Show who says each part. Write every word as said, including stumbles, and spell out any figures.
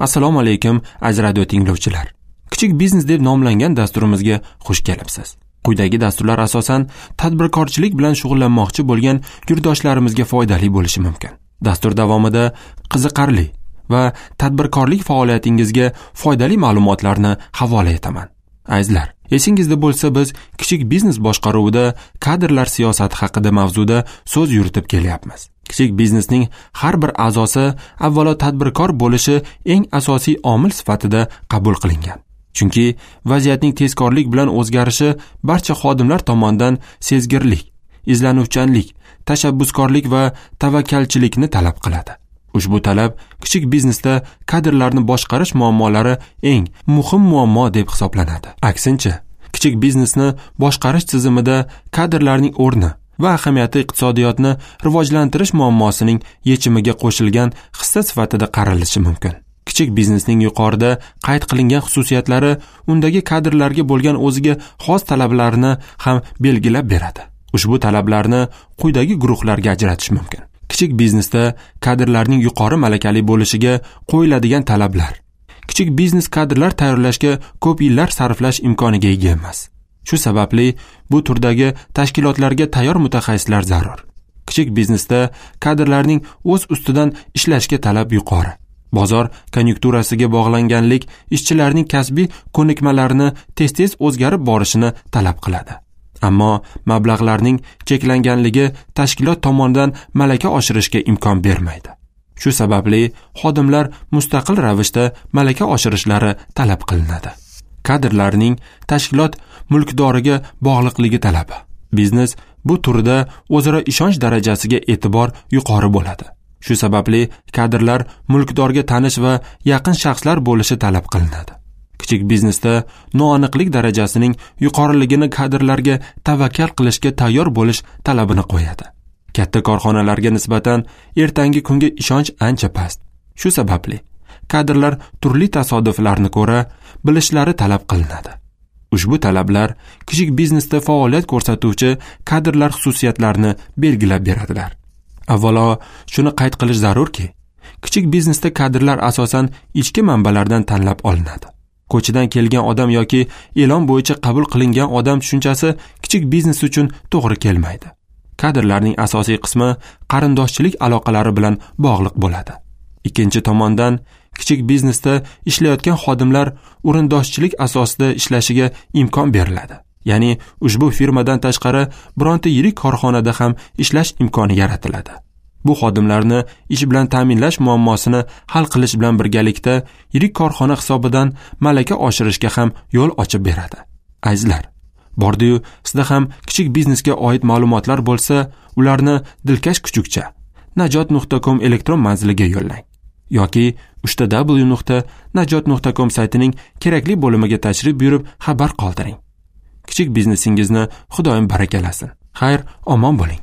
Speaker 1: Assalomu alaykum aziz radio tinglovchilar. Kichik biznes deb nomlangan dasturimizga xush kelibsiz. Quyidagi dasturlar asosan tadbirkorchilik bilan shug'ullanmoqchi bo'lgan yurtdoshlarimizga foydali bo'lishi mumkin. Dastur davomida qiziqarli va tadbirkorlik faoliyatingizga foydali ma'lumotlarni havola etaman. Azizlar, esingizda bo'lsa, biz kichik biznes boshqaruvida kadrlar siyosati haqida mavzuda so'z yuritib kelyapmiz. Kichik biznesning har bir a'zosi avvalo tadbirkor bo'lishi eng asosiy omil sifatida qabul qilingan. Chunki vaziyatning tezkorlik bilan o'zgarishi barcha xodimlar tomonidan sezgirlik, izlanuvchanlik, tashabbuskorlik va tavakkalchilikni talab qiladi. Ushbu talab kichik biznesda kadrlarni boshqarish muammolari eng muhim muammo deb hisoblanadi. Aksincha, kichik biznesni boshqarish tizimida kadrlarning o'rni va ahamiyati iqtisodiyotni rivojlantirish muammosining yechimiga qo'shilgan hissa sifatida qaralishi mumkin. Kichik biznesning yuqorida qayd qilingan xususiyatlari undagi kadrlarga bo'lgan o'ziga xos talablarni ham belgilab beradi. Ushbu talablarni quyidagi guruhlarga ajratish mumkin. Kichik biznesda kadrlarning yuqori malakali bo'lishiga qo'yiladigan talablar. Kichik biznes kadrlar tayyorlashga ko'p yillar sarflash imkoniga ega emas. Shu sababli bu turdagi tashkilotlarga tayyor mutaxassislar zarur. Kichik biznesda kadrlarning o'z ustidan ishlashga talab yuqori. Bozor konyunkturasiga bog'langanlik ishchilarning kasbiy ko'nikmalarini tez-tez o'zgarib borishini talab qiladi. Ammo mablag'larning cheklanganligi tashkilot tomonidan malaka oshirishga imkon bermaydi. Shu sababli xodimlar mustaqil ravishda malaka oshirishlari talab qilinadi. Kadrlarning tashkilot mulkdoriga bog'liqligi talabi. Biznes bu turda o'zaro ishonch darajasiga e'tibor yuqori bo'ladi. Shu sababli kadrlar mulkdorga tanish va yaqin shaxslar bo'lishi talab qilinadi. Kichik biznesda noaniqlik darajasining yuqoriligini kadrlarga tavakkal qilishga tayyor bo'lish talabini qo'yadi. Katta korxonalarga nisbatan ertangi kunga ishonch ancha past. Shu sababli kadrlar turli tasodiflarni ko'ra bilishlari talab qilinadi. Ushbu talablar kichik biznesda faoliyat ko'rsatuvchi kadrlar xususiyatlarini belgilab beradilar. Avvalo shuni qayd qilish zarurki, kichik biznesda kadrlar asosan ichki manbalardan tanlab olinadi. Ko'chadan kelgan odam yoki e'lon bo'yicha qabul qilingan odam tushunchasi kichik biznes uchun to'g'ri kelmaydi. Kadrlarning asosiy qismi qarindoshchilik aloqalari bilan bog'liq bo'ladi. Ikkinchi tomondan, kichik biznesda ishlayotgan xodimlar o'rindoshchilik asosida ishlashiga imkon beriladi. Ya'ni ushbu firmadan tashqari bironta yirik korxonada ham ishlash imkoni yaratiladi. Bu xodimlarni ish bilan ta'minlash muammosini hal qilish bilan birgalikda yirik korxona hisobidan malaka oshirishga ham yo'l ochib beradi. Azizlar, bordi-yu sizda ham kichik biznesga oid ma'lumotlar bo'lsa, ularni dilkash kuchukcha najot nuqta com elektron manziliga yo'llang yoki uchta w nuqta najot nuqta com saytining kerakli bo'limiga tashrif buyurib xabar qoldiring. Kichik biznesingizni Xudoyim barakalasin. Xayr, omon bo'ling.